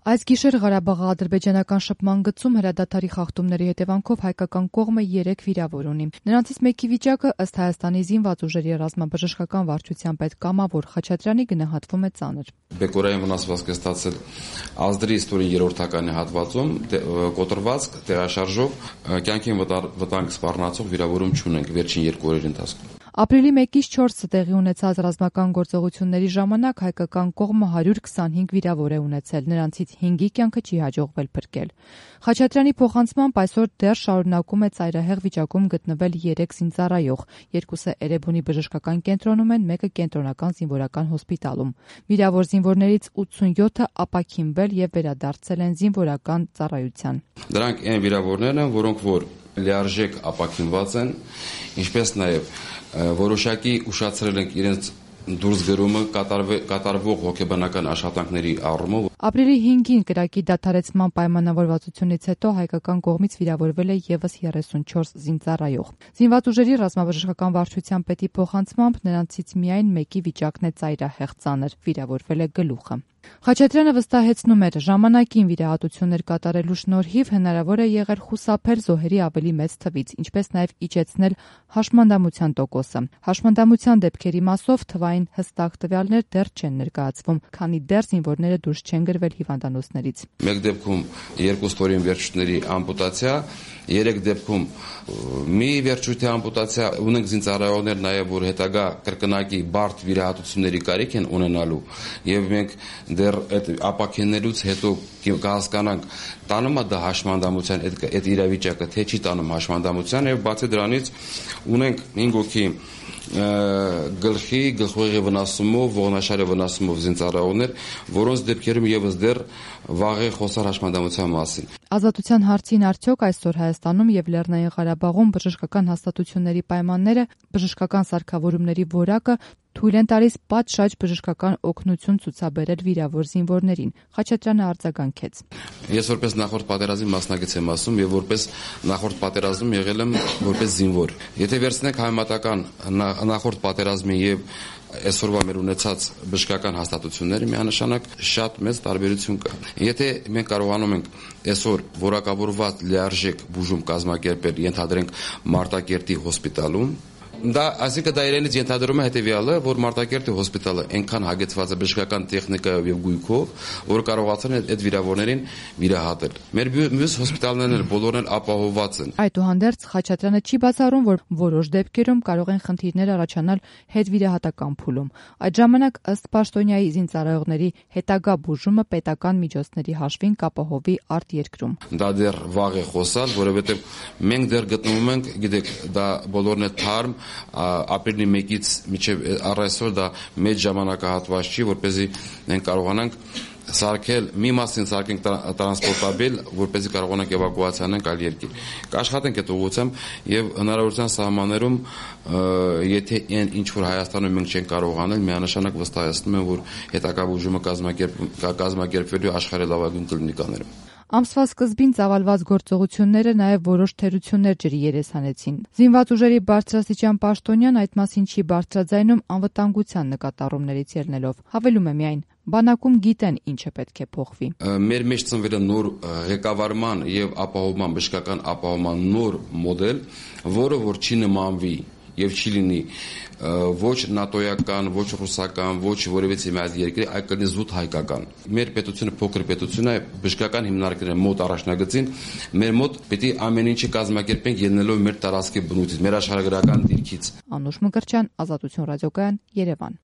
Այս գիշեր Ղարաբաղի-ադրբեջանական շփման գծում հրադադարի խախտումների հետևանքով հայկական կողմը 3 վիրավոր ունի։ Նրանցից մեկի վիճակը ըստ Հայաստանի զինված ուժերի ռազմաբժշկական վարչության պետ Կամավոր Խաչատրյանի գնահատվում է ծանր։ Բեկորային վնասվածք է ստացել ազդրի ստորին երրորդականի հատվածում, կոտրվածք, տեղաշարժով, կյանքին վտանգ սպառնացող վիրավորում չունենք վերջին 2 օրերի ընթացքում։ Ապրիլի 1-ից 4-ը տեղի ունեցած ռազմական գործողությունների ժամանակ հայկական կողմը 125 վիրավոր է ունեցել, նրանցից 5-ի կյանքը չի հաջողվել փրկել։ Խաչատրյանի փոխանցմամբ այսօր դեռ շարունակում է ծայրահեղ վիճակում գտնվել 3 զինծառայող, 2-ը Էրեբունի բժշկական կենտրոնում են, 1-ը կենտրոնական զինվորական հոսպիտալում։ Վիրավոր զինվորներից 87-ը ապաքինվել եւ վերադարձել են զինվորական ծառայության։ Դրանք այն վիրավորներն են, որոնք որ լիարժեք ապաքինված են, ինչպես նաեւ որոշակի ուշացրել ենք իրենց դուրսգրումը կատարվող հոգեբանական աշխատանքների առումով։ Ապրիլի 5-ին կրակի դադարեցման պայմանավորվածությունից հետո հայկական կողմից վիրավորվել է եւս 34 զինծառայող։ Զինված ուժերի ռազմաբժշկական վարչության պետի փոխանցմամբ նրանցից միայն մեկի վիճակն է ծայրահեղ ծանր, վիրավորվել է գլուխը։ Խաչատրյանը վստահեցնում էր, ժամանակին վիրահատություններ կատարելու շնորհիվ հնարավոր է եղել խուսափել զոհերի ավելի մեծ թվից, ինչպես նաև իջեցնել հաշմանդամության տոկոսը։ Հաշմանդամության դեպքերի մասով թվային հստակ տվյալներ դեռ չեն ներկայացվում, քանի դեռ զինվորները դուրս չեն գրվել հիվանդանոցներից։ Մեկ դեպքում 2 ստորին վերջույթների ամպուտացիա, 3 դեպքում մի վերջույթի ամպուտացիա, ունենք զինծառայողներ նաև որ հետագա կրկնակի բարդ վիրահատությունների կարիք են ունենալու, եւ մենք դեռ այդ ապաքինելուց հետո կհասկանանք տանում է դա հաշմանդամության այդ իրավիճակը, թե չի տանում հաշմանդամության, եւ բացի դրանից ունենք 5 հոգի գլխի, գլխուղեղի վնասումով, ողնաշարի վնասումով զինծառայողներ, որոնց դեպքերում եւս դեռ վաղ է խոսալ հաշմանդամության մասին։ Ազատության հարցին արդյոք այսօր Հայաստանում եւ Լեռնային Ղարաբաղում բժշկական հաստատությունների պայմանները, բժշկական սարքավորումների որակը թույլ են տալիս պատշաճ բժշկական օգնություն ցուցաբերել վիրավոր զինվորներին։ Խաչատրյանը արձագանքեց։ Ես որպես նախորդ պատերազմի մասնակից եմ ասում եւ որպես նախորդ պատերազմում եղել եմ որպես զինվոր։ Եթե վերցնենք համեմատական նախորդ պատերազմի եւ այսօրվա մեր ունեցած բժշկական հաստատությունները, միանշանակ շատ մեծ տարբերություն կա։ Եթե մենք կարողանում ենք այսօր որակավորված լիարժեք բուժում կազմակերպել, ենթադրենք Մարտակերտի հոսպիտալում, այսինքն դա իրենից ենթադրում է հետևյալը, որ Մարտակերտի հոսպիտալը այնքան հագեցված է բժշկական տեխնիկայով եւ գույքով, որ կարողացան այդ վիրավորներին վիրահատել։ Մեր մյուս հոսպիտալներն էլ բոլորն էլ ապահովված են։ Այդուհանդերձ Խաչատրյանը չի բացառում, որ որոշ դեպքերում կարող են խնդիրներ առաջանալ հետվիրահատական փուլում։ Այդ ժամանակ ըստ պաշտոնյայի զինծառայողների հետագա բուժումը պետական միջոցների հաշվին կապահովի արտերկրում։ Դա դեռ վաղ է խոսալ, որովհետեւ մենք դեռ գտնվում ենք, գիտեք, դա բոլորն է թարմ ապրիլի 1-ից մինչև առայսօր դա մեծ ժամանակահատված չի, որպեսզի մենք կարողանանք սարքել, մի մասին սարքենք տրանսպորտաբիլ, որպեսզի կարողանանք էվակուացիա անենք այլ երկիր։ Կաշխատենք այդ ուղղությամբ եւ հնարավորության սահմաններում, եթե ինչ որ Հայաստանում մենք չենք կարող անել, միանշանակ վստահեցնում եմ, որ հետագա բուժումը կազմակերպվելու աշխարհի լավագույն կլինիկաներում։ Ամսվա սկզբին ծավալված գործողությունները նաև որոշ թերություններ ջրի երես հանեցին։ Զինված ուժերի բարձրաստիճան պաշտոնյան այդ մասին չի բարձրաձայնում անվտանգության նկատառումներից ելնելով։ Հավելում է միայն, բանակում գիտեն ինչը պետք է փոխվի։ Մեր մեջ ծնվել է նոր ղեկավարման եւ ապահովման բժշկական ապահովման նոր մոդել, որը որ չի նմանվի եւ չի լինի ոչ նատոյական, ոչ ռուսական, ոչ որևէ մեծ երկրի, այլ կլինի զուտ հայկական։ Մեր պետությունը փոքր պետություն է, բժշկական հիմնարկները մոտ առաջնագծին, մեր մոտ պետք է ամեն ինչը կազմակերպենք ելնելով մեր տարածքի բնույթից, մեր աշխարհագրական դիրքից։ Անուշ Մկրտչյան, Ազատություն ռադիոկայան, Երևան։